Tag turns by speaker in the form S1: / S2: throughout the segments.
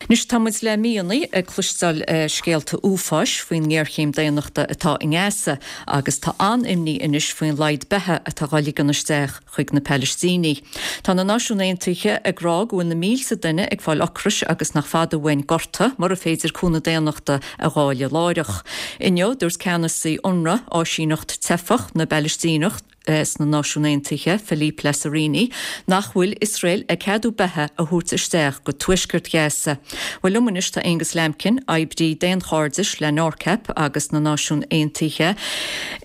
S1: Anois tá muid le míonna ag cloisteáil scéalta uafáis faoin ngéarchéim daonnachta atá i nGaza agus tá an-imní anois faoin laghad beatha atá dhá ligean isteach chuig na Palaistínigh. Tá na Náisiúin Aontaithe ag rá go bhfuil na mílte duine ag fáil ocrais agus nach fada uainn gorta mura féidir cúnamh daonnachta a dháileadh láithreach. Inniu dúirt ceannasaí Unrwa, áisíneacht teifeach na bPalaistíneach, sna Náisiúin Aontaithe, Philippe Lazzarini, nach bhfuil Iosrael ag ceadú beatha a thabhairt isteach go tuaisceart Ghaza. Bhuel, liom anois tá Aonghus Lambkin, oibrí daonchairdis le NORCAP agus na Náisiúin Aontaithe.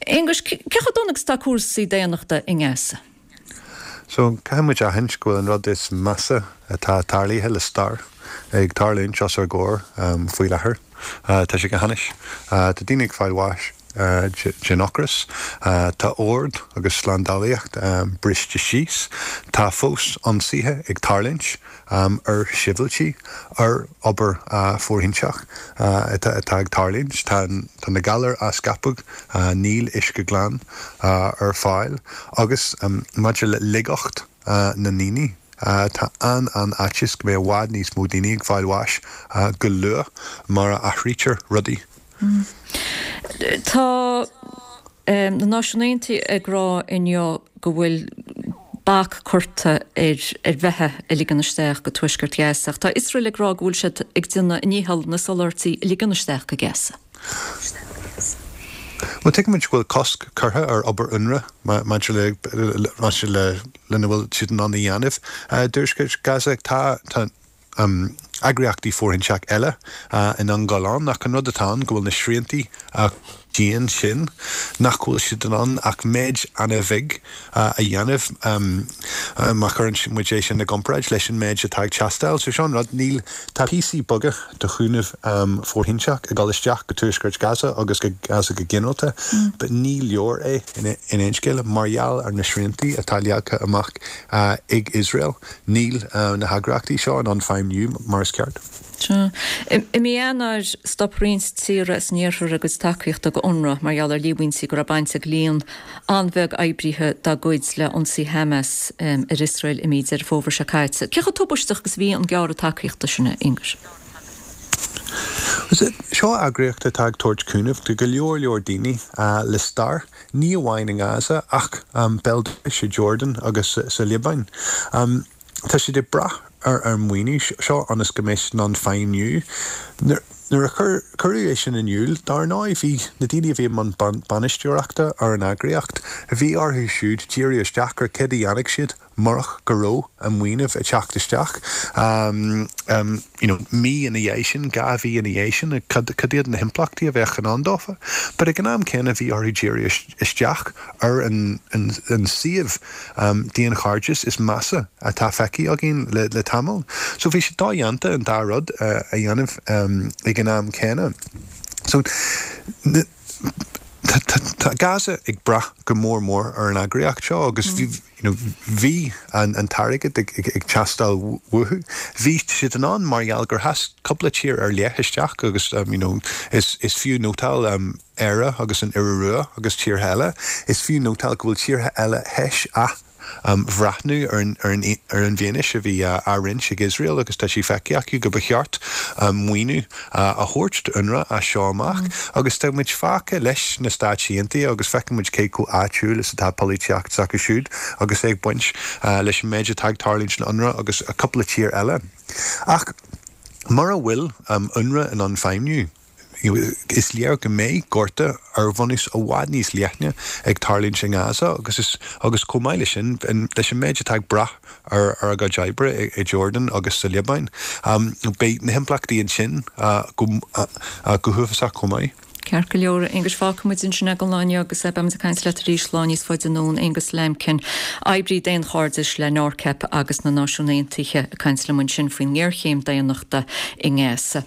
S1: Aonghus, cé chomh dona agus atá cúrsaí daonnachta i nGaza?
S2: So, caithfidh muid aithint go bhfuil an rud is measa atá tarlaithe le stair ag tarlúint os ár gcomhair faoi láthair. Tá sé go hainnis. Tá daoine ag fáil bháis den ocras. Tá ord agus slándálaíocht briste síos. Tá fós ionsaithe ag tarlúint ar shibhialtaigh, ar obair fóirithinte atá ag tarlúint. Tá na galair á scaipeadh, níl uisce glan ar fáil agus maidir le laigeacht na ndaoine, Tá an-an-fhaitíos go mbeidh i bhfad níos mó daoine ag fáil bháis go luath mura athraítear rudaí.
S1: Tá na Náisiúin Aontaithe ag rá inniu go bhfuil bac curtha ar ar bheatha a ligean isteach go tuaisceart Ghaza ach tá Iosrael ag rá go bhfuil siad ag déanamh a ndícheall na soláthairtí a ligean isteach go Gaza.
S2: Bhuel, tuigimid go bhfuil cosc curtha ar obair Unrwa maidir le maidir le lena bhfuil siad in ann a dhéanamh i dtuaisceart Gaza. Tá tá eagraíochtaí fóirithinte eile in ann dul ann ach an rud atá ann go bhfuil na sriantaí dian sin nach bhfuil siad in ann ach méid an-bheag a dhéanamh má chuireann muid é sin i gcomparáid leis an méid atá ag teastáil. So seo an rud, níl, tá píosaí beaga de chúnamh fóirithinte ag dul isteach go tuaisceart Gaza agus go Gaza go ginearálta but ní leor é in aon scéal mar gheall ar na sriantaí atá leagtha amach ag Iosrael. Níl na heagraíochtaí seo in ann feidhmiú mar is ceart.
S1: Sea. I mí Eanáir, stop roinnt tíortha as an iarthar a gcuid tacaíochta go Unrwa mar gheall ar líomhaintí go raibh baint ag líon an-bheag oibrithe dá gcuid le ionsaí Hamas ar Iosrael i mí Deireadh Fómhair seo caite. Cé chomh tubaisteach agus a bhí an gearradh tacaíochta sin, a Aonghuis?
S2: Seo eagraíocht atá ag tabhairt cúnamh do go leor leor daoine le stair, ní amháin i nGaza ach béal dorais i Jordan agus sa Liobáin. Tá siad ag brath ar an maoiniú seo ionas go mbeidh siad in ann feidhmiú. Nuair a cuireadh é sin in iúl, dar ndóigh, bhí na daoine a bhí i mbun bainisteoireachta ar an eagraíocht, bhí orthu siúd díriú isteach ar céard a dhéanfadh siad murach go raibh an maoiniú ag teacht isteach. You know, mí ina dhiaidh sin, 2 mhí ina dhiaidh sin, cad iad na himpleachtaí a bheadh in ann dófa? But ag an am céanna bhí orthu díriú isteach ar an suíomh daonchairdis is measa atá feicthe againn le tamall. So bhí sé dodhéanta an dá rud a dhéanamh ag an am céanna. So tá Gaza ag brath go mór mór ar an eagraíocht seo agus bhí you know bhí an t-airgead ag teastáil uathu. Bhí siad in ann mar gheall gur sheas cúpla tír ar leith isteach agus you know is fiú nótáil Éire agus an Iorua agus tíortha eile. Is fiú nótáil go bhfuil tíortha eile théis athbhreathnú ar an bhfianaise a bhí á roinnt ag Iosrael agus tá sé feicthe acu go ba cheart maoiniú a thabhairt d'UNRWA as seo amach. Agus tá muid fágtha leis na Stáit Aontaithe agus feiceann muid cé chomh áitiúil is atá polaitíocht s'acu siúd agus é ag baint leis an méid atá ag tarlúint in UNRWA agus cúpla tír eile. Ach mura bhfuil UNRWA in ann feidhmiú, Is léir go mbeidh gorta ar bhunús i bhfad níos leithne ag tarlúint i nGaza agus is agus chomh maith leis sin, leis an méid atá ag brath ar ar a gcuid oibre i Jordan agus sa Liobáin, beidh na himpleachtaí ansin go go huafásach chomh maith.
S1: Ceart go leor, a Aonghuis, fágfaidh muid ansin é don lá inniu agus beidh muid ag caint leat arís lá níos faide anonn. Aonghus Lambkin, oibrí daonchairdis le NORCAP agus na Náisiúin Aontaithe, ag caint liom ansin faoin ngéarchéim daonnachta i nGaza.